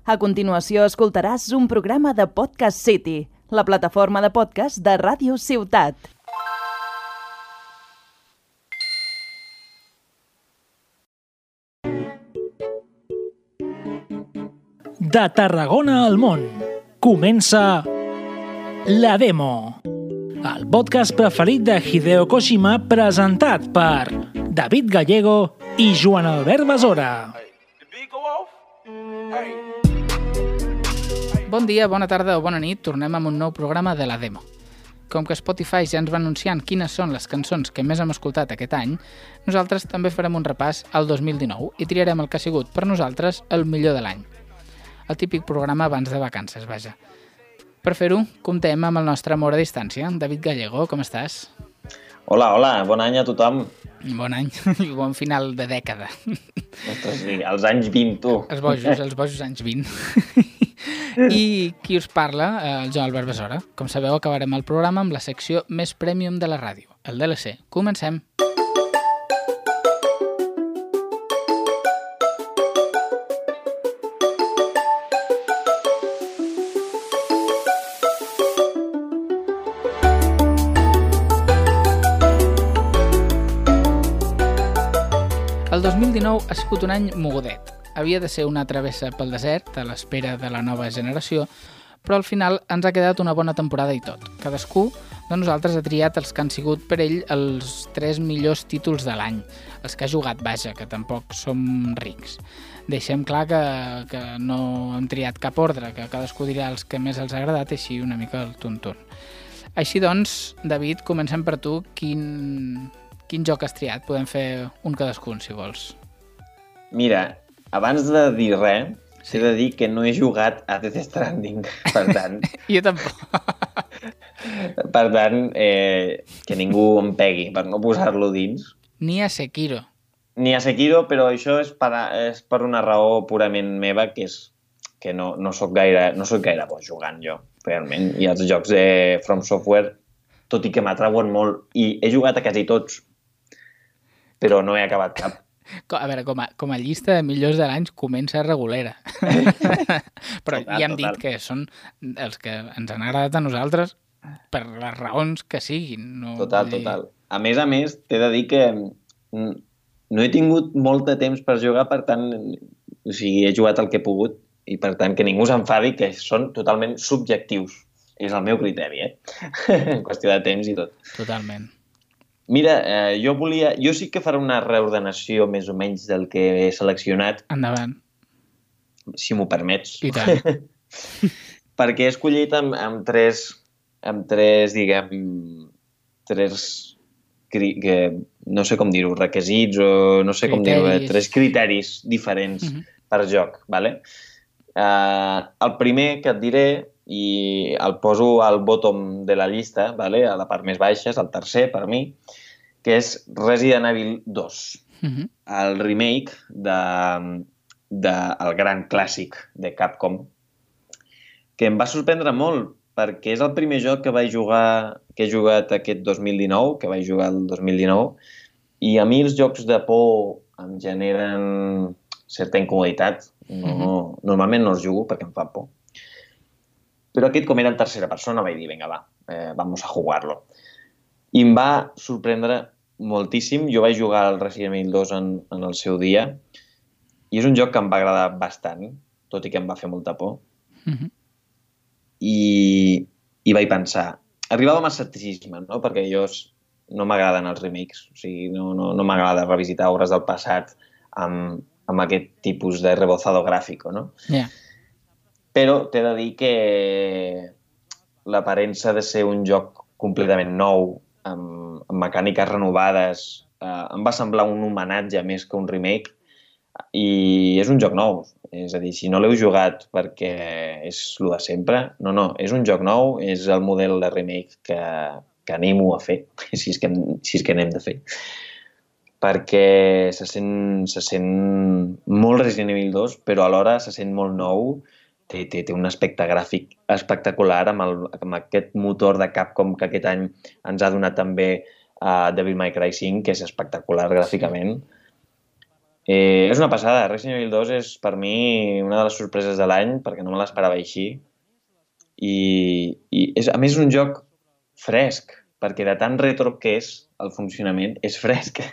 A continuació escoltaràs un programa de Podcast City, la plataforma de podcast de Ràdio Ciutat. De Tarragona al món, comença La Demo, el podcast preferit de Hideo Kojima presentat per David Gallego i Joan Albert Besora. Bon dia, bona tarda o bona nit, tornem amb un nou programa de La Demo. Com que Spotify ja ens va anunciant quines són les cançons que més hem escoltat aquest any, nosaltres també farem un repàs al 2019 i triarem el que ha sigut per nosaltres el millor de l'any. El típic programa abans de vacances, vaja. Per fer-ho, comptem amb el nostre amor a distància. David Gallego, com estàs? Hola, bon any a tothom. Bon any i bon final de dècada. Ostres, sí, els anys 20, tu. Els bojos anys 20. I qui us parla, el Joan Albert Besora. Com sabeu, acabarem el programa amb la secció més premium de la ràdio, el DLC. Comencem. El 2019 ha sigut un any mogudet. Havia de ser una travessa pel desert, a l'espera de la nova generació, però al final ens ha quedat una bona temporada i tot. Cadascú de nosaltres ha triat els que han sigut per ell els 3 millors títols de l'any, els que ha jugat, vaja, que tampoc som rics. Deixem clar que no hem triat cap ordre, que cadascú dirà els que més els ha agradat i així una mica el tuntun. Així doncs, David, comencem per tu. Quin joc has triat? Podem fer un cadascun, si vols. Mira, abans de dir res, s'he de dir que no he jugat a Death Stranding, per tant... Jo tampoc. Per tant, que ningú em pegui per no posar-lo dins. Ni a Sekiro. Ni a Sekiro, però això és per una raó purament meva, que és que no soc gaire bo jugant jo, realment. I els jocs de From Software, tot i que m'atrauen molt, i he jugat a quasi tots, però no he acabat cap. A veure, com a llista de millors de l'any comença regulera. Però ja hem dit que són els que ens han agradat a nosaltres per les raons que siguin. No, Total. A més, t'he de dir que no he tingut molt de temps per jugar, per tant, he jugat el que he pogut i, per tant, que ningú s'enfadi, que són totalment subjectius. És el meu criteri, en qüestió de temps i tot. Totalment. Mira, jo sí que faré una reordenació més o menys del que he seleccionat. Endavant. Si m'ho permets. I tant. Perquè he escollit amb tres, diguem, que no sé com dir-ho, requisits o no sé com dir-ho, 3 criteris diferents per joc, vale? El primer que et diré, i el poso al bottom de la llista, vale? A la part més baixa, és el tercer per mi, que és Resident Evil 2, el remake del gran clàssic de Capcom, que em va sorprendre molt, perquè és el primer joc que he jugat aquest 2019, que vaig jugar el 2019, i a mi els jocs de por em generen certa incomoditat. Normalment no els jugo perquè em fa por. Però aquest, com era en tercera persona, vaig dir, vinga, va, vamos a jugar-lo. I em va sorprendre moltíssim. Jo vaig jugar al Resident Evil 2 en el seu dia i és un joc que em va agradar bastant, tot i que em va fer molta por. I vaig pensar, arribava amb escepticisme, no? Perquè no m'agraden els remakes, o sigui, no m'agrada revisitar obres del passat amb aquest tipus de rebozado gràfico, no? Yeah. Però t'he de dir que l'aparença de ser un joc completament nou, amb mecàniques renovades, em va semblar un homenatge més que un remake, i és un joc nou. És a dir, si no l'heu jugat perquè és el de sempre, no, és un joc nou, és el model de remake que animo a fer, si és que n'hem de fer. Perquè se sent molt Resident Evil 2, però alhora se sent molt nou. Té un aspecte gràfic espectacular amb aquest motor de Capcom que aquest any ens ha donat també Devil May Cry 5, que és espectacular gràficament. És una passada. Resident Evil 2 és per mi una de les sorpreses de l'any perquè no me l'esperava així. I és, a més, un joc fresc, perquè de tan retro que és el funcionament, és fresc.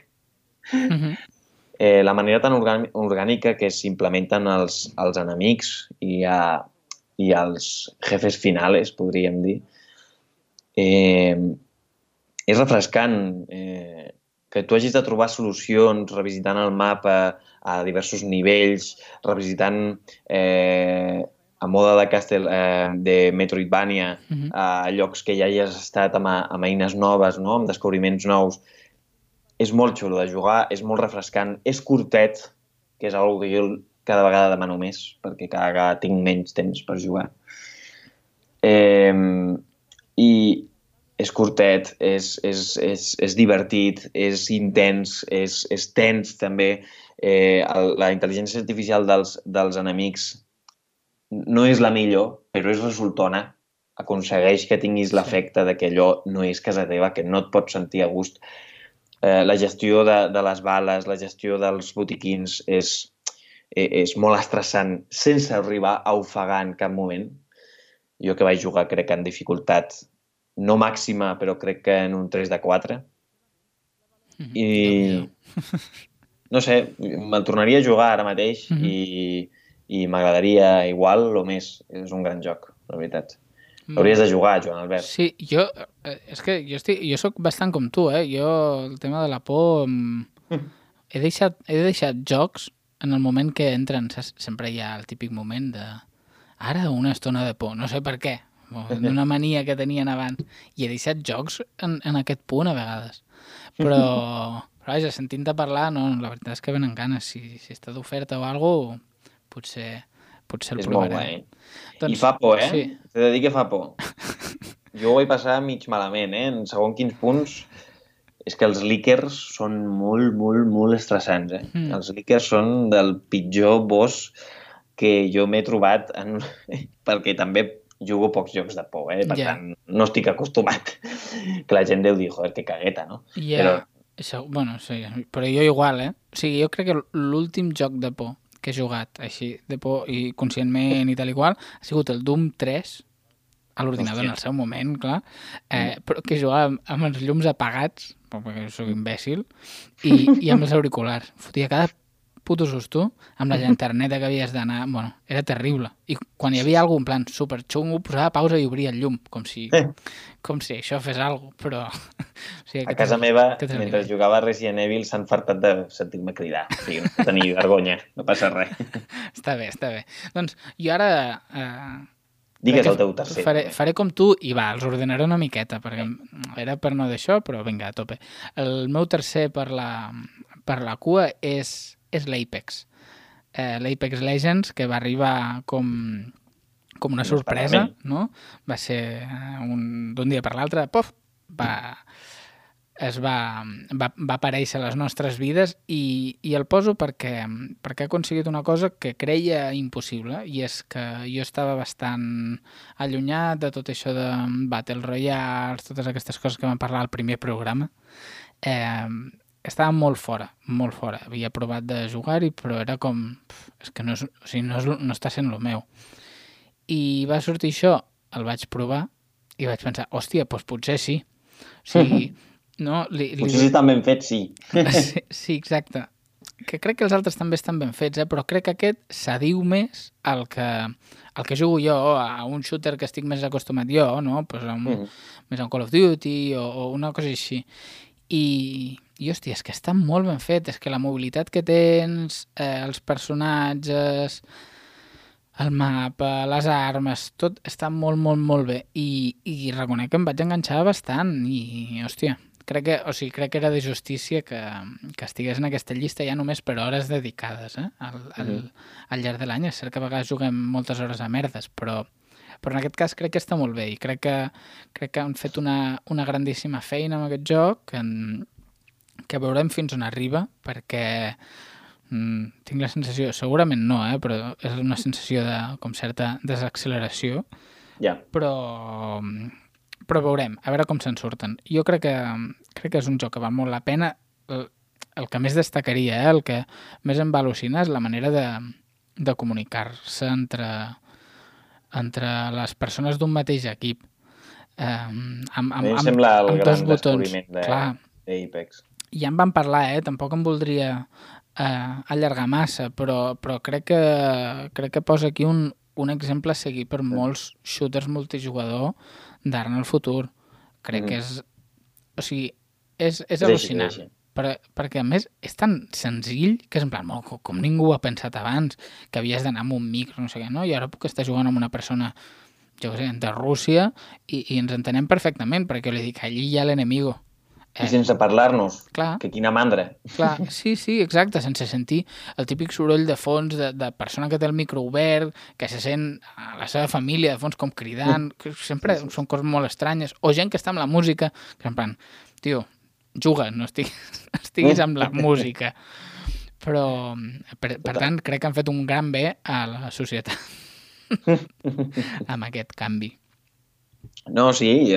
La manera tan orgànica que s'implementen els enemics i els jefes finales, podríem dir, és refrescant. Que tu hagis de trobar solucions revisitant el mapa a diversos nivells, revisitant a moda de de Metroidvania a llocs que ja hi has estat amb eines noves, no? Amb descobriments nous. És molt xulo de jugar, és molt refrescant, és curtet, que és una cosa que jo cada vegada demano més, perquè cada vegada tinc menys temps per jugar. I és curtet, és divertit, és intens, és tens també. La intel·ligència artificial dels enemics no és la millor, però és resultona. Aconsegueix que tinguis l'efecte de que allò no és casa teva, que no et pots sentir a gust. La gestió de les bales, la gestió dels botiquins és molt estressant sense arribar a ofegar en cap moment. Jo que vaig jugar crec que en dificultat no màxima, però crec que en un 3 de 4. I no sé, me'l tornaria a jugar ara mateix i m'agradaria igual o més. És un gran joc, la veritat. Hauries de jugar, Joan Albert. Sí, és que jo soc bastant com tu, Jo, el tema de la por, he deixat jocs en el moment que entren, saps? Sempre hi ha el típic moment de ara una estona de por, no sé per què, d'una mania que tenien abans, i he deixat jocs en aquest punt a vegades. Però vaja, sentint-te parlar, no, la veritat és que venen ganes. Si està d'oferta o alguna cosa, potser el provaré. És molt guai. I fa por, Sí. T'he de dir que fa por. Jo ho vaig passar mig malament, En segons quins punts és que els líquers són molt, molt, molt estressants, Els líquers són del pitjor boss que jo m'he trobat perquè també jugo pocs jocs de por, Per tant, no estic acostumat. Que la gent deu dir, joder, que cagueta, no? Bueno, sí, però jo igual, O sigui, jo crec que l'últim joc de por que he jugat així, de por i conscientment i tal i qual, ha sigut el Doom 3, a l'ordinador en el seu moment, clar, però que jugava amb els llums apagats, perquè soc imbècil, i amb els auriculars. Fotia cada puto susto amb la llanterneta que havies d'anar. Bueno, era terrible. I quan hi havia algú en plan superxungo, posava pausa i obria el llum, com si això fes alguna cosa, però... O sigui, a casa meva, mentre jugava Resident Evil, s'han fartat de sentir-me cridar. O sigui, no tenir vergonya, no passa res. Està bé. Doncs jo ara... Digues el teu tercer. Faré com tu i els ordenaré una miqueta, perquè era per no d'això, però vinga, a tope. El meu tercer per la cua és l'Apex. L'Apex Legends, que va arribar com una sorpresa, no? Va ser d'un dia per l'altre, va aparèixer a les nostres vides i el poso perquè ha aconseguit una cosa que creia impossible, i és que jo estava bastant allunyat de tot això de Battle Royale, totes aquestes coses que vam parlar al primer programa. Estava molt fora. Havia provat de jugar-hi, però era com... És que no està sent el meu. I va sortir això, el vaig provar i vaig pensar, hòstia, doncs potser sí. O sigui, no... Potser sí estan ben fets, sí. Sí, exacte. Que crec que els altres també estan ben fets, però crec que aquest s'adiu més al que jugo jo, a un shooter que estic més acostumat jo, no? Pues més a un Call of Duty o una cosa així. I hòstia, és que està molt ben fet, és que la mobilitat que tens, els personatges, el mapa, les armes, tot està molt, molt, molt bé. I reconec que em vaig enganxar bastant i, hòstia, crec que era de justícia que estigués en aquesta llista ja només per hores dedicades, al llarg de l'any. És cert que a vegades juguem moltes hores a merdes, però en aquest cas crec que està molt bé i crec que han fet una grandíssima feina amb aquest joc que veurem fins on arriba, perquè tinc la sensació, segurament no, però és una sensació de com certa desacceleració, però veurem, a veure com se'n surten. Jo crec que és un joc que val molt la pena. el que més destacaria, el que més em va al·lucinar és la manera de comunicar-se entre les persones d'un mateix equip. A mi em sembla el gran botons. descobriment d'Apex. Ja en vam parlar, tampoc em voldria allargar massa, però crec que posa aquí un exemple a seguir per molts shooters multijugador d'ara en el futur. Crec que és... O sigui, és al·lucinant. Perquè, a més, és tan senzill que és en plan, com ningú ho ha pensat abans, que havies d'anar amb un micro, no sé què, no? I ara puc estar jugant amb una persona, jo què sé, de Rússia, i ens entenem perfectament, perquè jo li dic, allí hi ha l'enemigo. I sense parlar-nos, clar, que quina mandra. Clar, sí, exacte, sense sentir el típic soroll de fons de persona que té el micro obert, que se sent a la seva família de fons com cridant, que sempre són coses molt estranyes, o gent que està amb la música, que en plan, tio, juga, no estiguis amb la música. Però, per tant, crec que han fet un gran bé a la societat amb aquest canvi. No, sí,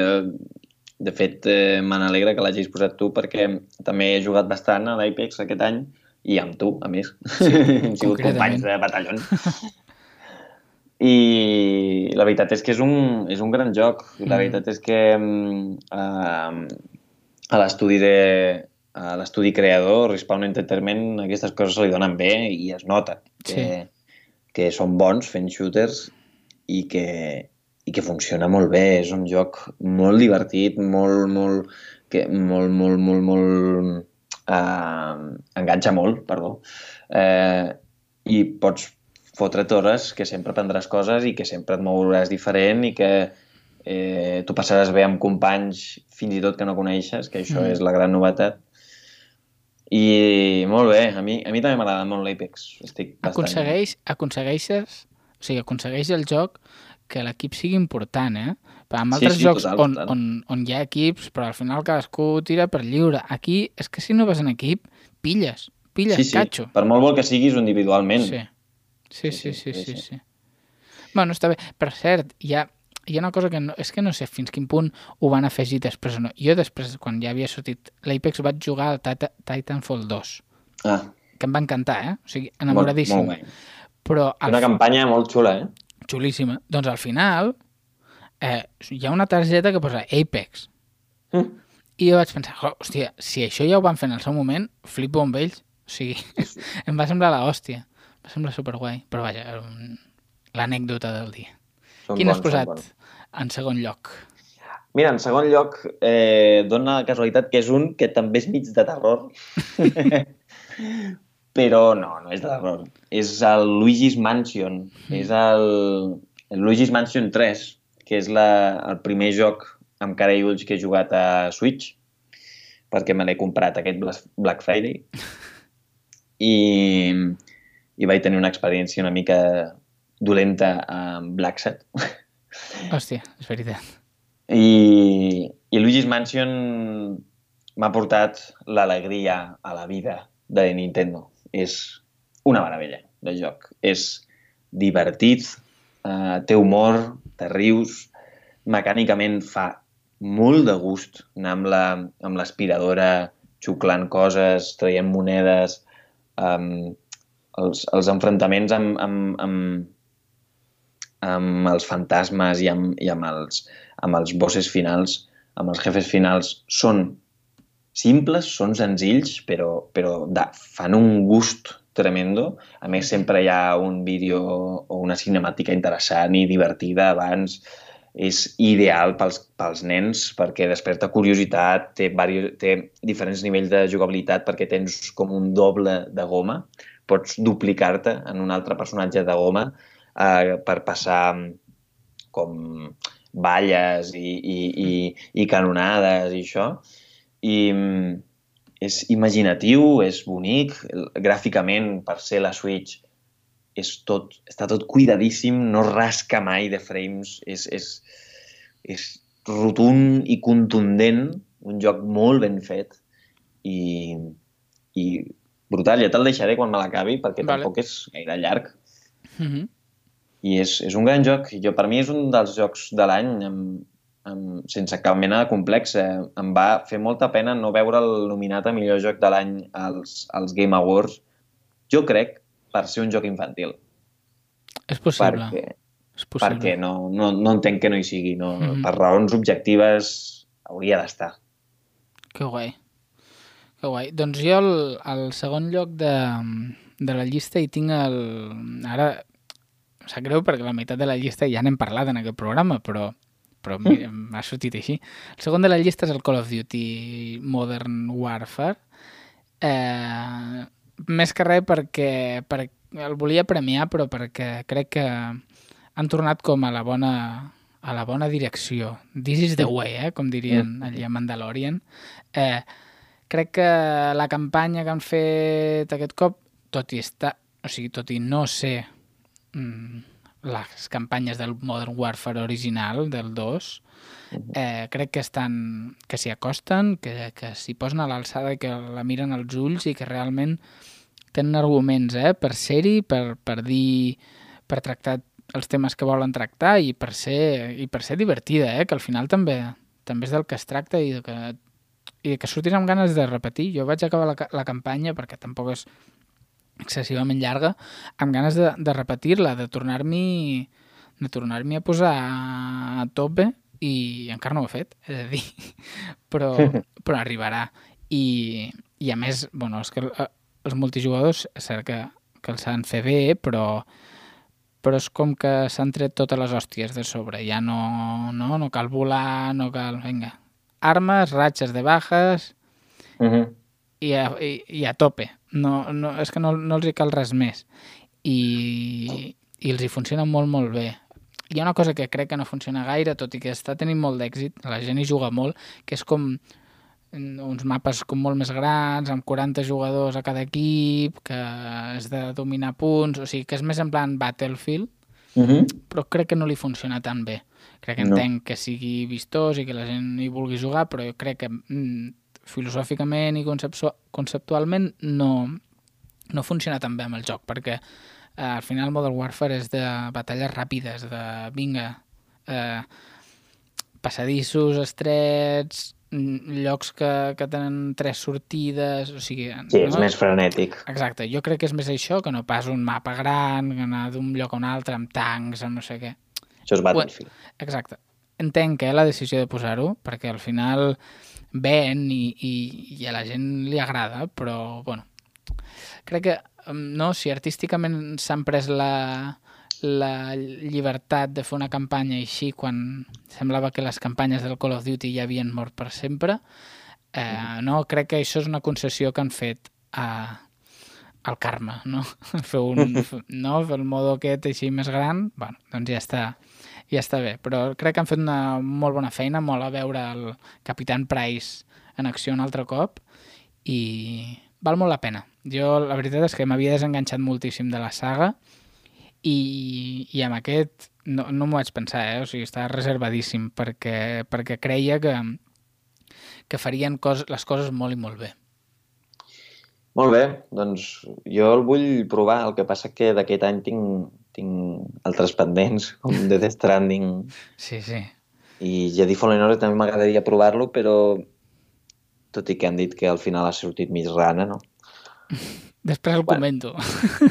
de fet, me n'alegra que l'hagis posat tu, perquè també he jugat bastant a l'Apex aquest any, i amb tu, a més. Sí, hem sigut companys de batallón. I la veritat és que és un gran joc. La veritat és que a l'estudi creador, Respawn Entertainment, aquestes coses se li donen bé i es nota que són bons fent shooters i que funciona molt bé. És un joc molt divertit, enganxa molt, perdó. I pots fotre't hores que sempre aprendràs coses i que sempre et mouràs diferent i que tu passaràs bé amb companys fins i tot que no coneixes, que això és la gran novetat. I molt bé, a mi també m'agrada molt l'Apex. Aconsegueixes, o sigui, aconsegueix el joc que l'equip sigui important, Però en altres jocs on hi ha equips, però al final cadascú tira per lliure. Aquí és que si no vas en equip, pilles catxo. Per molt bo que siguis individualment. Sí. Bueno, està bé. Per cert, hi ha una cosa que és que no sé fins quin punt ho van afegir després o no. Jo després, quan ja havia sortit l'Apex, vaig jugar al Titanfall 2. Que em va encantar, O sigui, enamoradíssim. Molt bé. Però una campanya molt xula, Xulíssima. Doncs al final hi ha una targeta que posa Apex. I jo vaig pensar, hòstia, si això ja ho van fer en el seu moment, flipo amb ells. O sigui, em va semblar l'hòstia. Va semblar superguai. Però vaja, l'anècdota del dia. Quin has posat en segon lloc? Mira, en segon lloc dona la casualitat que és un que també és mig de terror. Però no és de terror. És el Luigi's Mansion. És el Luigi's Mansion 3, que és el primer joc amb cara i ulls que he jugat a Switch, perquè me l'he comprat aquest Black Friday. I vaig tenir una experiència una mica dolenta amb Black Set. Hòstia, és veritat. I Luigi's Mansion m'ha portat l'alegria a la vida de Nintendo. És una meravella de joc. És divertit, té humor, te rius, mecànicament fa molt de gust anar amb l'aspiradora xuclant coses, traient monedes, els enfrontaments amb els fantasmes i amb els bosses finals, amb els jefes finals, són simples, són senzills, però fan un gust tremendo. A més, sempre hi ha un vídeo o una cinemàtica interessant i divertida abans. És ideal pels nens perquè desperta curiositat, té diferents nivells de jugabilitat perquè tens com un doble de goma. Pots duplicar-te en un altre personatge de goma per passar com balles i canonades i això. I és imaginatiu, és bonic, gràficament, per ser la Switch, està tot cuidadíssim, no rasca mai de frames, és rotund i contundent, un joc molt ben fet i brutal. Ja te'l deixaré quan me l'acabi, perquè tampoc és gaire llarg. I és un gran joc. Per mi és un dels jocs de l'any sense cap mena de complex. Em va fer molta pena no veure'l nominat a millor joc de l'any als Game Awards. Jo crec per ser un joc infantil. És possible. Perquè no entenc que no hi sigui. Per raons objectives hauria d'estar. Que guai. Que guai. Doncs jo al segon lloc de la llista hi tinc ara em sap greu perquè la meitat de la llista ja n'hem parlat en aquest programa, però m'ha sortit així. El segon de la llista és el Call of Duty Modern Warfare. Més que res perquè el volia premiar, però perquè crec que han tornat com a la bona direcció. This is the way, com dirien allà a Mandalorian. Crec que la campanya que han fet aquest cop, tot i no ser les campanyes del Modern Warfare original, del 2, crec que s'hi acosten, que s'hi posen a l'alçada i que la miren als ulls i que realment tenen arguments per ser-hi, per dir, per tractar els temes que volen tractar i per ser divertida, que al final també és del que es tracta i que surtis amb ganes de repetir. Jo vaig acabar la campanya, perquè tampoc és excessivament llarga, amb ganes de repetir-la, de tornar-m'hi a posar a tope, i encara no ho he fet, és a dir, però arribarà. I a més, és que els multijugadors, és cert que els han fet bé, però és com que s'han tret totes les hòsties de sobre. Ja no cal volar, no cal... Vinga, armes, ratxes de bajas i a tope. És que no els hi cal res més. I els hi funciona molt, molt bé. Hi ha una cosa que crec que no funciona gaire, tot i que està tenint molt d'èxit, la gent hi juga molt, que és com uns mapes com molt més grans, amb 40 jugadors a cada equip, que és de dominar punts, o sigui, que és més en plan Battlefield, però crec que no li funciona tan bé. Crec que entenc que sigui vistós i que la gent hi vulgui jugar, però jo crec que filosòficament i conceptualment no funciona tan bé amb el joc, perquè al final Modern Warfare és de batalles ràpides, de vinga, passadissos estrets, llocs que tenen 3 sortides, o sigui... Sí, és més frenètic. Exacte, jo crec que és més això que no pas un mapa gran, anar d'un lloc a un altre amb tancs, amb no sé què. Això és Battlefield. Exacte. Entenc la decisió de posar-ho, perquè al final ven i a la gent li agrada, però, bueno, crec que si artísticament s'han pres la llibertat de fer una campanya així quan semblava que les campanyes del Call of Duty ja havien mort per sempre, crec que això és una concessió que han fet al karma, no? Fer el modo aquest així més gran, bueno, doncs ja està bé, però crec que han fet una molt bona feina, molt a veure el Capitán Price en acció un altre cop i val molt la pena. Jo la veritat és que m'havia desenganxat moltíssim de la saga i amb aquest no m'ho vaig pensar, o sigui, estava reservadíssim perquè creia que farien les coses molt i molt bé. Molt bé, doncs jo el vull provar, el que passa que d'aquest any tinc altres pendents, com Death Stranding. Sí. I Jedi Fallen Order també m'agradaria provar-lo, però tot i que han dit que al final ha sortit mig rana, no? Després el comento.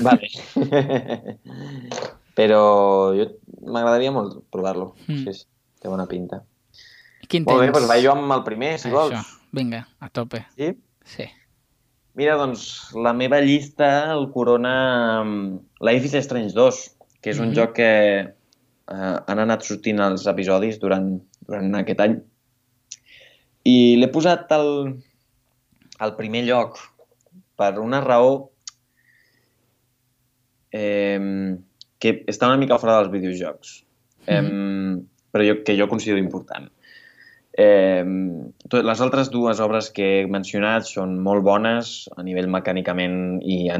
Vale. Però m'agradaria molt provar-lo. Sí, té bona pinta. Quin molt bé, doncs vaig jo amb el primer, si vols. Vinga, a tope. Sí? Sí. Mira, doncs, la meva llista el corona Life is Strange 2, que és un joc que han anat sortint els episodis durant aquest any. I l'he posat al primer lloc per una raó que està una mica fora dels videojocs, però que jo considero important. Les altres dues obres que he mencionat són molt bones a nivell mecànicament i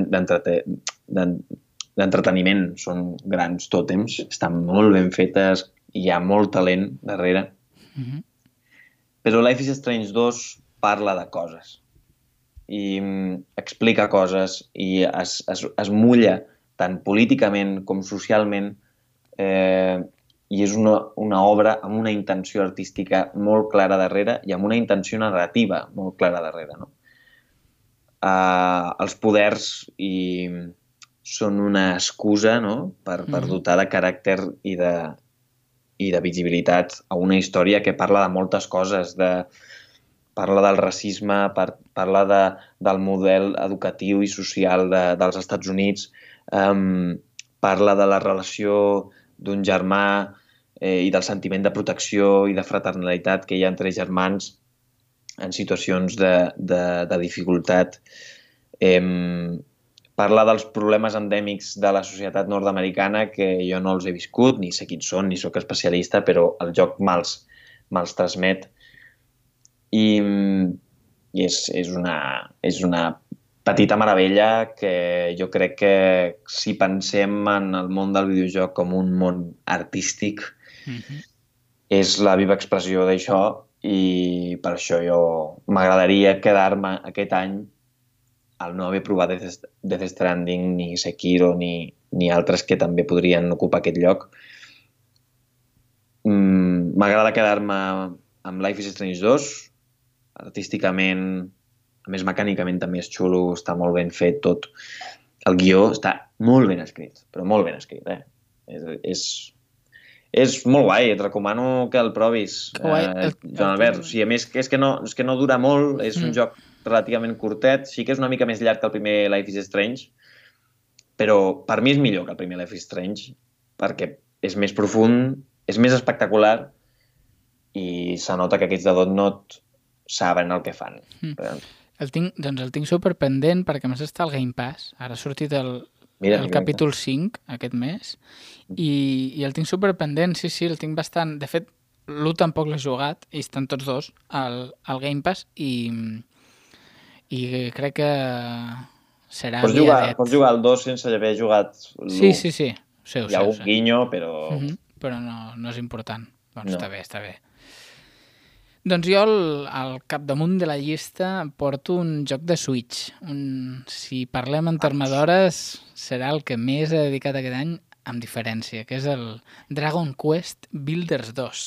d'entreteniment, són grans tòtems, estan molt ben fetes i hi ha molt talent darrere. Però Life is Strange 2 parla de coses i explica coses i es mulla tant políticament com socialment i és una obra amb una intenció artística molt clara darrere i amb una intenció narrativa molt clara darrere, no? Els poders són una excusa, no?, per dotar de caràcter i de visibilitat a una història que parla de moltes coses, parla del racisme, parla del model educatiu i social dels Estats Units, parla de la relació d'un germà i del sentiment de protecció i de fraternalitat que hi ha entre germans en situacions de dificultat. Parla dels problemes endèmics de la societat nord-americana que jo no els he viscut, ni sé quins són, ni sóc especialista, però el joc me'ls transmet. I és una petita meravella que jo crec que si pensem en el món del videojoc com un món artístic, és la viva expressió d'això i per això jo m'agradaria quedar-me aquest any al no haver provat Death Stranding, ni Sekiro, ni altres que també podrien ocupar aquest lloc. M'agrada quedar-me amb Life is Strange 2, artísticament, a més mecànicament també és xulo, està molt ben fet tot. El guió està molt ben escrit, però molt ben escrit, És molt guai, et recomano que el provis, Joan Albert. O sigui, a més, és que no dura molt, és un joc relativament curtet, sí que és una mica més llarg que el primer Life is Strange, però per mi és millor que el primer Life is Strange, perquè és més profund, és més espectacular i se nota que aquests de Dotnod saben el que fan. El tinc superpendent perquè a més està al Game Pass. Ara ha sortit el capítol 5 aquest mes i el tinc superpendent, sí, el tinc bastant... De fet, l'1 tampoc l'he jugat i estan tots dos al Game Pass i crec que serà aviadet. Pots jugar al 2 sense haver jugat l'1. Sí. Hi ha algun guinyo, però... Però no és important. Doncs no. Està bé. Doncs jo al capdamunt de la llista porto un joc de Switch. Si parlem en termes d'hores, serà el que més he dedicat aquest any, amb diferència, que és el Dragon Quest Builders 2.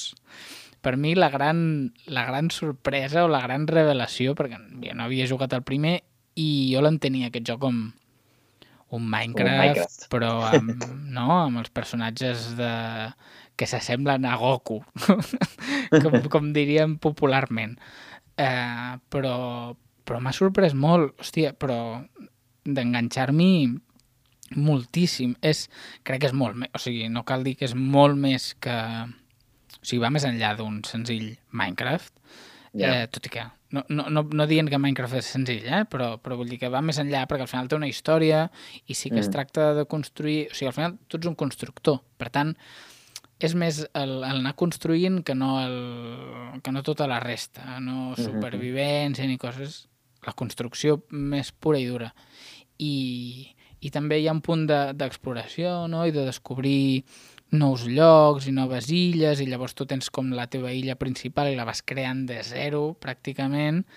Per mi la gran sorpresa o la gran revelació, perquè jo no havia jugat el primer i jo l'entenia aquest joc com un Minecraft, però amb els personatges que s'assemblen a Goku, com diríem popularment. Però m'ha sorprès molt, hòstia, però d'enganxar-m'hi moltíssim. Crec que és molt més, o sigui, no cal dir que és molt més que... O sigui, va més enllà d'un senzill Minecraft, tot i que... No dient que Minecraft és senzill, però vull dir que va més enllà perquè al final té una història i sí que es tracta de construir... O sigui, al final tu ets un constructor, per tant, és més anar construint que no tota la resta, no supervivència ni coses, la construcció més pura i dura. I també hi ha un punt d'exploració, no?, i de descobrir nous llocs i noves illes, i llavors tu tens com la teva illa principal i la vas creant de zero, pràcticament,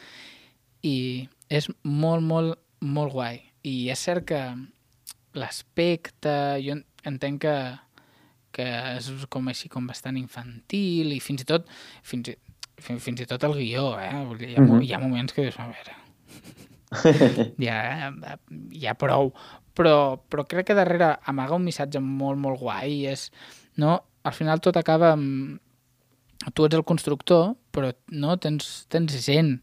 i és molt, molt, molt guai. I és cert que l'aspecte, jo entenc que és com així com bastant infantil i fins i tot el guió, Vull dir, hi ha moments que dius, a veure, ja prou, però crec que darrere amaga un missatge molt, molt guai, al final tot acaba amb... Tu ets el constructor, però no tens gent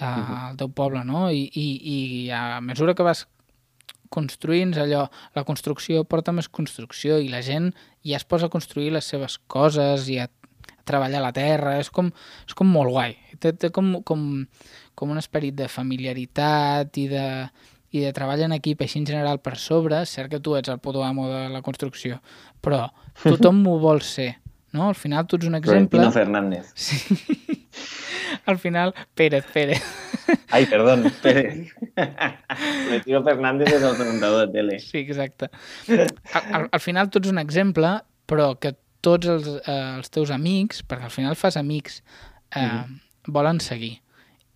al teu poble, no? I a mesura que vas construint allò, la construcció porta més construcció i la gent ja es posa a construir les seves coses i a treballar la terra, és com molt guai. Té com un esperit de familiaritat i de treball en equip així en general per sobre. És cert que tu ets el puto amo de la construcció, però tothom m'ho vol ser, no? Al final tu ets un exemple... Florentino Fernández. Sí. Al final, Pérez. Ai, perdón, Pérez. Florentino Fernández és el presentador de tele. Sí, exacte. Al final tu ets un exemple, però que tots els teus amics, perquè al final fas amics, volen seguir.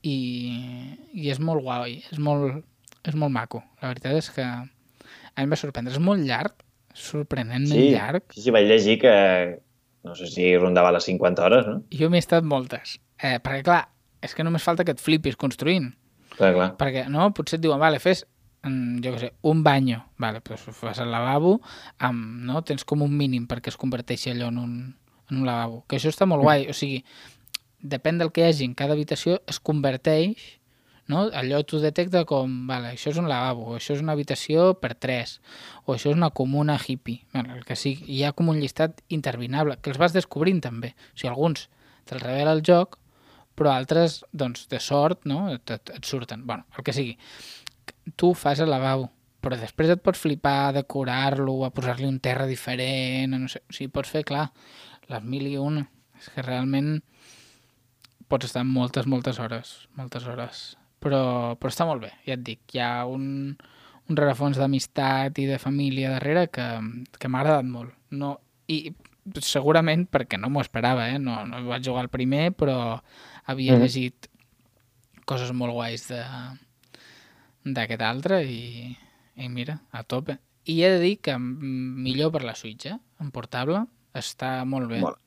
I és molt guai, és molt maco. La veritat és que a mi em va sorprendre. És molt llarg, sorprenentment llarg. Sí, vaig llegir que no sé si rondava les 50 hores, no? Jo m'he estat moltes. Perquè, clar, és que només falta que et flipis construint. Clar. Perquè, no? Potser et diuen, vale, fes, jo què sé, un banyo. Vale, doncs fas el lavabo, no? Tens com un mínim perquè es converteixi allò en un lavabo. Que això està molt guai. O sigui, depèn del que hi hagi en cada habitació, es converteix, no? Allò t'ho detecta com, vale, això és un lavabo, o això és una habitació per 3, o això és una comuna hippie. Bueno, el que sigui. Hi ha com un llistat interminable, que els vas descobrint també. O sigui, alguns te'ls revela el joc, però altres, doncs, de sort, no? Et surten. Bueno, el que sigui. Tu fas el lavabo, però després et pots flipar a decorar-lo, a posar-li un terra diferent, no sé. O sigui, pots fer, clar, les 1001. És que realment pots estar moltes hores. Però està molt bé, ja et dic. Hi ha un rerefons d'amistat i de família darrere que m'ha agradat molt. No, i segurament perquè no m'ho esperava, no vaig jugar al primer, però havia llegit coses molt guais d'aquest altre i mira, a tope. I he de dir que millor per la Switch, en portable, està molt bé. Molt.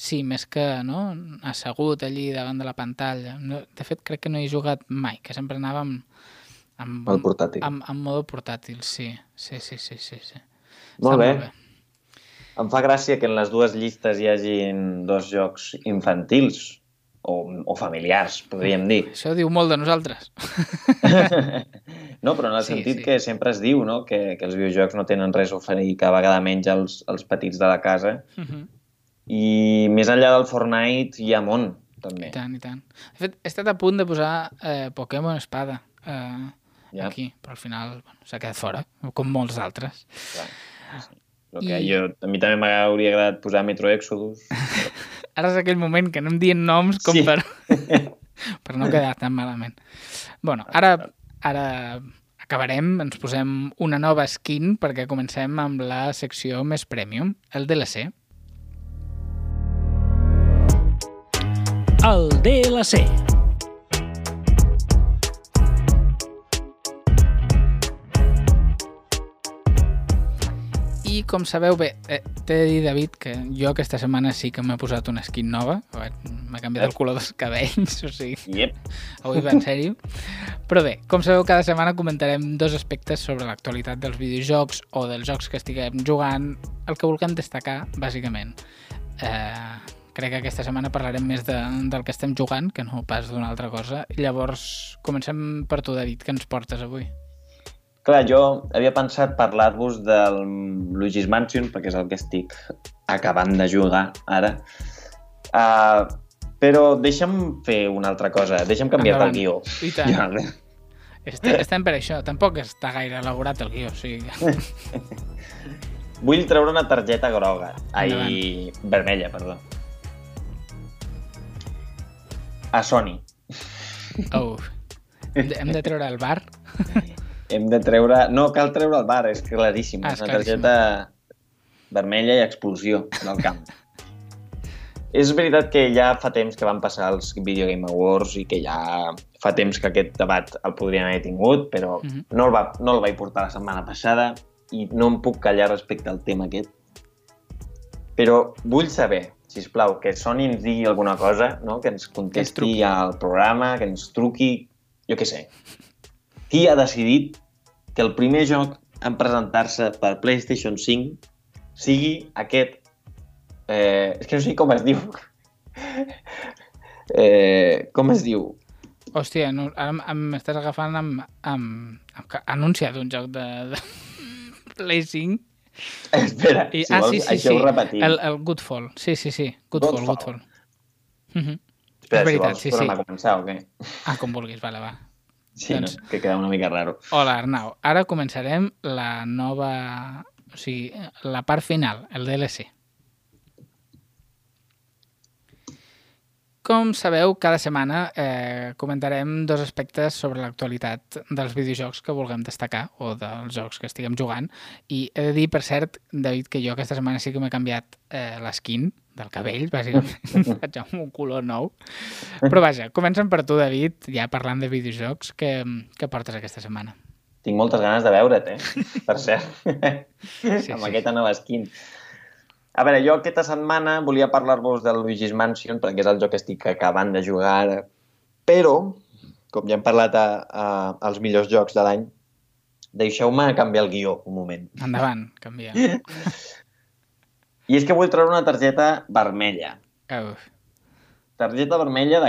Sí, més que assegut allí davant de la pantalla. De fet, crec que no he jugat mai, que sempre anava El portàtil. en modo portàtil, sí. Molt bé. Em fa gràcia que en les dues llistes hi hagin 2 jocs infantils o familiars, podríem dir. Això diu molt de nosaltres. No, però en el sentit que sempre es diu, no? que els videojocs no tenen res a oferir, cada vegada menys als petits de la casa. I més enllà del Fortnite hi ha món, també. I tant. De fet, he estat a punt de posar Pokémon Espada aquí, però al final s'ha quedat fora, com molts altres. Clar, sí. A mi també m'hauria agradat posar Metro Exodus. Ara és aquell moment que anem dient noms com per no quedar tan malament. Bueno, ara acabarem, ens posem una nova skin perquè comencem amb la secció més premium, el DLC. El DLC. I com sabeu bé, t'he de dir, David, que jo aquesta setmana sí que m'he posat una skin nova. M'ha canviat el color dels cabells, o sigui... Yep. Avui va en sèrio. Però bé, com sabeu, cada setmana comentarem 2 aspectes sobre l'actualitat dels videojocs o dels jocs que estiguem jugant, el que vulguem destacar, bàsicament. Crec que aquesta setmana parlarem més del que estem jugant, que no pas d'una altra cosa. Llavors, comencem per tu, David, què ens portes avui? Clar, jo havia pensat parlar-vos del Luigi's Mansion, perquè és el que estic acabant de jugar ara. Però deixa'm fer una altra cosa, deixa'm canviar-te el guió. I tant. Estem per això, tampoc està gaire elaborat el guió, o sigui... Vull treure una targeta groga, vermella, perdó. A Sony. Oh, hem de treure el bar? Hem de treure... No cal treure el bar, és claríssim. És una targeta vermella i explosió del camp. És veritat que ja fa temps que van passar els Video Game Awards i que ja fa temps que aquest debat el podrien haver tingut, però no el vaig portar la setmana passada i no em puc callar respecte al tema aquest. Però vull saber, sisplau, que Sony ens digui alguna cosa, no? Que ens contesti al programa, que ens truqui, jo què sé. Qui ha decidit que el primer joc en presentar-se per PlayStation 5 sigui aquest... és que no sé com es diu. Com es diu? Hòstia, ara m'estàs agafant amb anunciat un joc de Play 5. Espera, si vols, això ho repetim. El Goodfall. Sí. Goodfall. Espera, si vols, tornem a començar o què? Com vulguis, va. Sí, doncs... no? Que queda una mica raro. Hola, Arnau. Ara començarem la nova... O sigui, la part final, el DLC. Com sabeu, cada setmana comentarem 2 aspectes sobre l'actualitat dels videojocs que vulguem destacar o dels jocs que estiguem jugant. I he de dir, per cert, David, que jo aquesta setmana sí que m'he canviat l'eskin del cabell, bàsicament. Faig un color nou. Però vaja, comencem per tu, David, ja parlant de videojocs. Què portes aquesta setmana? Tinc moltes ganes de veure't, per cert. Amb aquesta nova skin. A veure, jo aquesta setmana volia parlar-vos del Luigi's Mansion perquè és el joc que estic acabant de jugar ara, però, com ja hem parlat als millors jocs de l'any, deixeu-me canviar el guió un moment. Endavant, canvia. I és que vull treure una targeta vermella. Uf, Targeta vermella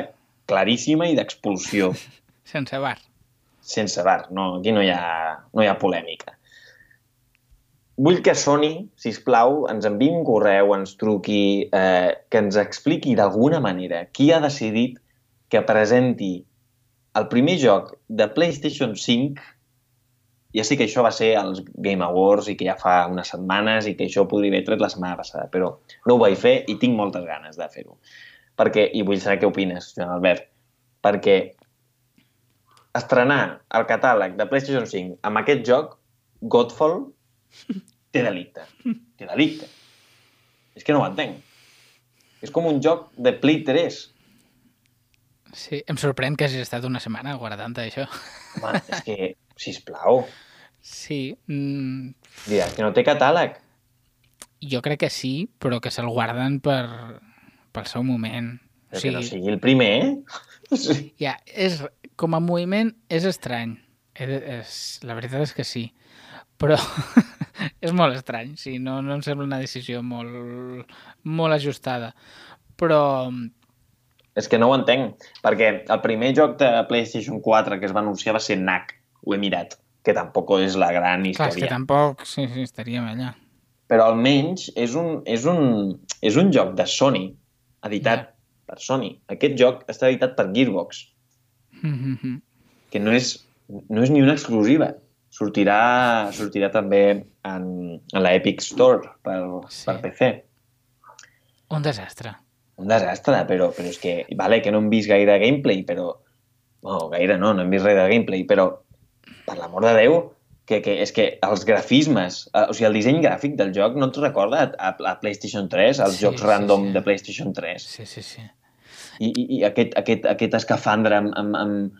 claríssima i d'expulsió. sense bar. Sense bar, no, aquí no hi ha polèmica. Vull que Sony, sisplau, ens enviï un correu, ens truqui, que ens expliqui d'alguna manera qui ha decidit que presenti el primer joc de PlayStation 5. Ja sé que això va ser als Game Awards i que ja fa unes setmanes i que això ho podria haver tret la setmana passada, però no ho vaig fer i tinc moltes ganes de fer-ho. Perquè, i vull saber què opines, Joan Albert, perquè estrenar el catàleg de PlayStation 5 amb aquest joc, Godfall, té delicte. Té delicte. És que no ho entenc. És com un joc de Play 3. Sí, em sorprèn que hagis estat una setmana guardant això. Home, és que, sisplau, Sí, diràs que no té catàleg. jo crec que sí, però que se'l guarden pel seu moment. Però que no sigui el primer, eh? Ja, com a moviment és estrany. La veritat és que sí. Però és molt estrany, sí, no em sembla una decisió molt ajustada. Però És que no ho entenc, perquè el primer joc de PlayStation 4 que es va anunciar va ser Knack, ho he mirat, que tampoc és la gran clar, història. és que tampoc sí, estaríem allà. Però almenys és un joc de Sony, editat per Sony. Aquest joc està editat per Gearbox, que no és ni una exclusiva. Sortirà també en la Epic Store per PC. Un desastre. Un desastre, però és que... Vale, que no hem vist gaire gameplay, però... No, gaire no hem vist res de gameplay, però, per l'amor de Déu, que és que els grafismes, o sigui, el disseny gràfic del joc no et recorda a PlayStation 3, als jocs random de PlayStation 3. Sí. I aquest escafandre amb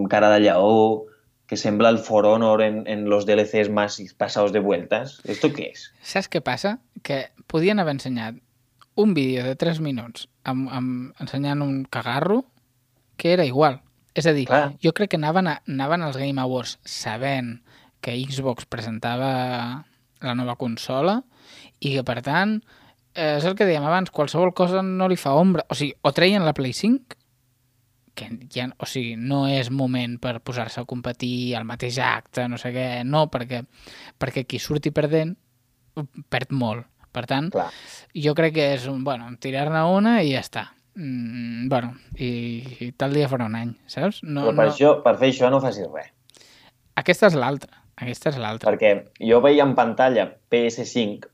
cara de lleó, que sembla el For Honor en los DLCs más pasados de vueltas. ¿Esto qué es? Saps què passa? Que podien haver ensenyat un vídeo de 3 minuts ensenyant un cagarro que era igual. És a dir, Clar. jo crec que anaven als Game Awards sabent que Xbox presentava la nova consola i que, per tant, és el que dèiem abans, qualsevol cosa no li fa ombra. O sigui, o treien la Play 5, que ja, o sigui, no és moment per posar-se a competir al mateix acte, no sé què, no, perquè qui surti perdent perd molt. Per tant, Clar. jo crec que és tirar-ne una i ja està. I tal dia farà un any, saps? Però per fer això no facis res. Aquesta és l'altra. Perquè jo veia en pantalla PS5,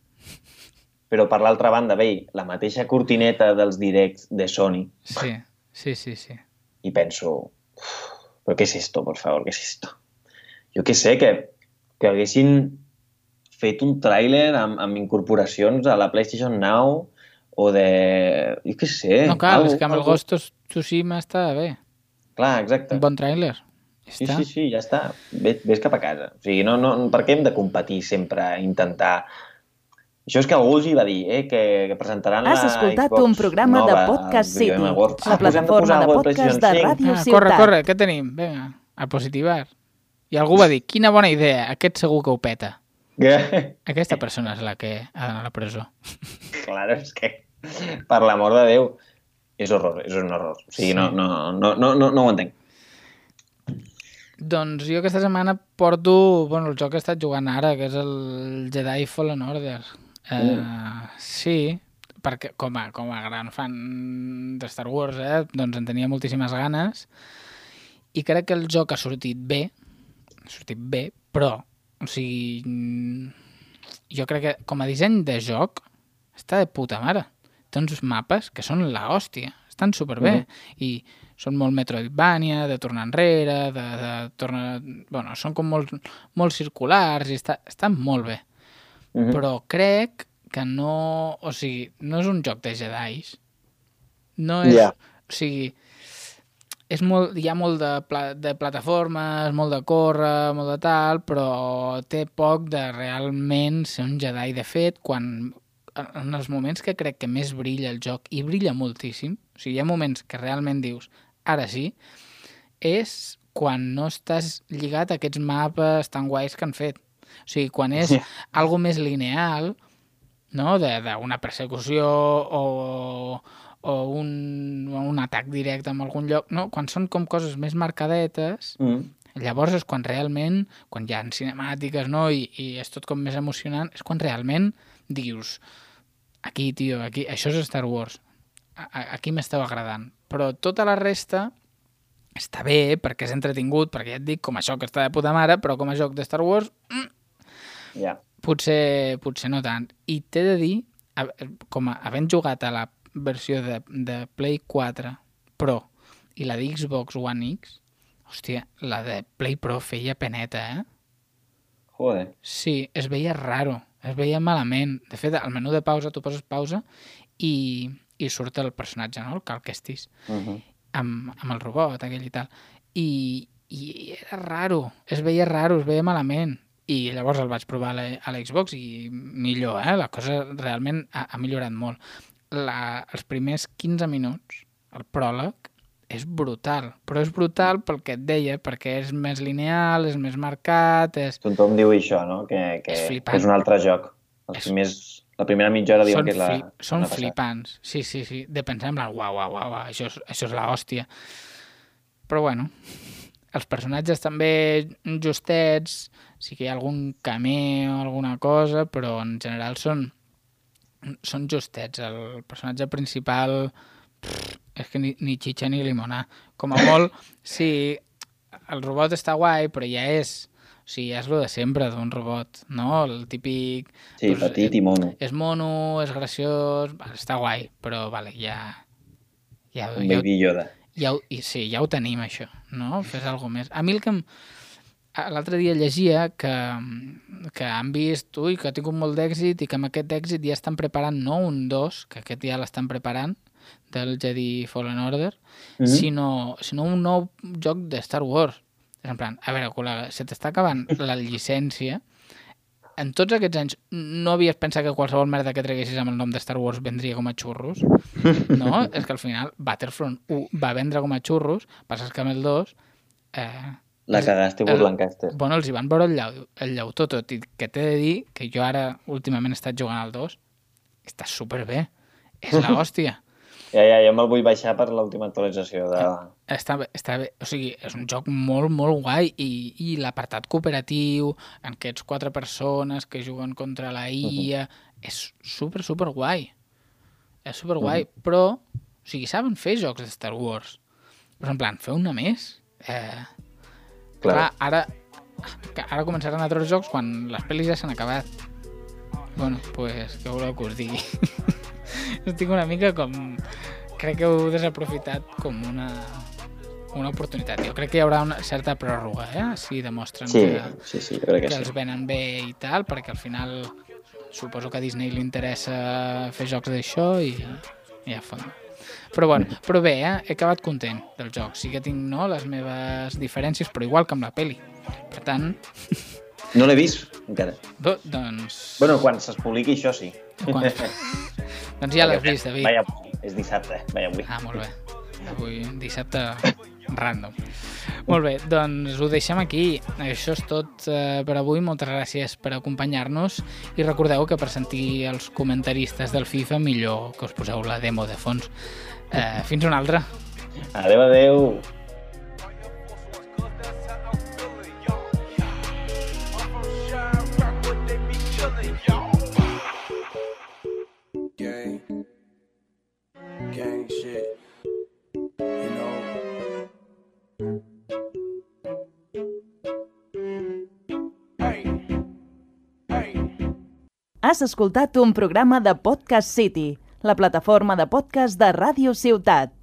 però per l'altra banda veia la mateixa cortineta dels directs de Sony. Sí. I penso, ¿pero qué es esto, por favor? ¿Qué es esto? Jo què sé, que haguessin fet un tràiler amb incorporacions a la PlayStation Now o de... Jo què sé. No cal, és que amb el Ghost of Tsushima està bé. Clar, exacte. Un bon tràiler. Sí, ja està. Ves cap a casa. O sigui, no, per què hem de competir sempre, intentar... Això és que algú els hi va dir, que presentaran la Xbox. Has escoltat un programa de Podcast City, la plataforma de podcast de Ràdio Ciutat. Corre, què tenim? Vinga, a positivar. I algú va dir, quina bona idea, aquest segur que ho peta. Aquesta persona és la que ha d'anar a la presó. Claro, és que, per l'amor de Déu, és un horror. O sigui, no ho entenc. Doncs jo aquesta setmana porto el joc que he estat jugant ara, que és el Jedi Fallen Order. Sí, perquè com a gran fan de Star Wars, doncs en tenia moltíssimes ganes i crec que el joc ha sortit bé, però o sigui, jo crec que com a disseny de joc està de puta mare. Té uns mapes que són la hòstia, estan superbé i són molt Metroidvania, de tornar enrere, de tornar... són com molt circulars i estan molt bé. Però crec que no... O sigui, no és un joc de Jedis. No és... O sigui, hi ha molt de plataformes, molt de córrer, molt de tal, però té poc de realment ser un Jedi. De fet, quan en els moments que crec que més brilla el joc, i brilla moltíssim, o sigui, hi ha moments que realment dius, ara sí, és quan no estàs lligat a aquests mapes tan guais que han fet. O sigui, quan és algo més lineal, no? D'una persecució o un atac directe en algun lloc, no? Quan són com coses més marcadetes, llavors és quan realment, quan hi ha cinemàtiques, no? I és tot com més emocionant, és quan realment dius, aquí, tio, aquí, això és Star Wars, aquí m'esteu agradant. Però tota la resta està bé, perquè és entretingut, perquè ja et dic, com a joc està de puta mare, però com a joc de Star Wars, potser no tant. I t'he de dir, com havent jugat a la versió de Play 4 Pro i la de Xbox One X, hòstia, la de Play Pro feia peneta, eh? Joder. Sí, es veia raro, es veia malament. De fet, al menú de pausa tu poses pausa i surt el personatge, no? El Cal Kestis, amb el robot aquell i tal. I era raro, es veia malament. I llavors el vaig provar a l'Xbox i millor, la cosa realment ha millorat molt. Els primers 15 minuts, el pròleg, és brutal, però és brutal pel que et deia, perquè és més lineal, és més marcat... Tothom diu això, no? Que és un altre joc. La primera mitja hora diuen que és la... Són flipants, sí, de pensar en plan, uau, això és l'hòstia. Però bueno, els personatges també justets, sí que hi ha algun cameo o alguna cosa, però en general són justets. El personatge principal és que ni xitxa ni limonar. Com a molt, sí, el robot està guai, però ja és... O sigui, ja és el de sempre d'un robot, no? El típic... Sí, petit i mono. És mono, és graciós, està guai, però vale, ja... Un baby Yoda. Sí, ja ho tenim, això, no? Fes alguna més. A mi el que l'altre dia llegia que han vist, que ha tingut molt d'èxit i que amb aquest èxit ja estan preparant no un 2, que aquest ja l'estan preparant, del Jedi Fallen Order, sinó un nou joc de Star Wars. És en plan, a veure, col·lega, se t'està acabant la llicència. En tots aquests anys no havies pensat que qualsevol merda que treguessis amb el nom de Star Wars vendria com a xurros? No? És que al final Battlefront 1 va vendre com a xurros, passes que amb el 2... La cagaste per Lancaster. Bueno, els hi van veure el llautó tot, i que t'he de dir que jo ara últimament he estat jugant al 2, està superbé, és l'hòstia. Ja me'l vull baixar per l'última actualització de... Està bé, o sigui, és un joc molt, molt guai, i l'apartat cooperatiu, en aquests 4 persones que juguen contra la IA, és super guai. És super guai, però, o sigui, saben fer jocs de Star Wars. Però en plan, fer una més... Clar, ara començaran altres jocs quan les pel·lis ja s'han acabat. Bueno, pues, què voleu que us digui? Estic una mica com... Crec que heu desaprofitat com una oportunitat. Jo crec que hi haurà una certa pròrroga, si demostren que els venen bé i tal, perquè al final suposo que a Disney li interessa fer jocs d'això i ja fot. Però bueno, però bé, he acabat content del joc. Sí que tinc les meves diferències, però igual que amb la peli. Per tant... No l'he vist, encara. Doncs... Bueno, quan se'ls publiqui això sí. Doncs ja l'has vist, David. Vaja, és dissabte, vaja avui. Molt bé. Avui, dissabte random. Molt bé, doncs ho deixem aquí. Això és tot per avui. Moltes gràcies per acompanyar-nos i recordeu que per sentir els comentaristes del FIFA millor que us poseu la demo de fons. Fins una altra. Adeu. Gang shit, you know. Has escoltat un programa de Podcast City, la plataforma de podcast de Ràdio Ciutat.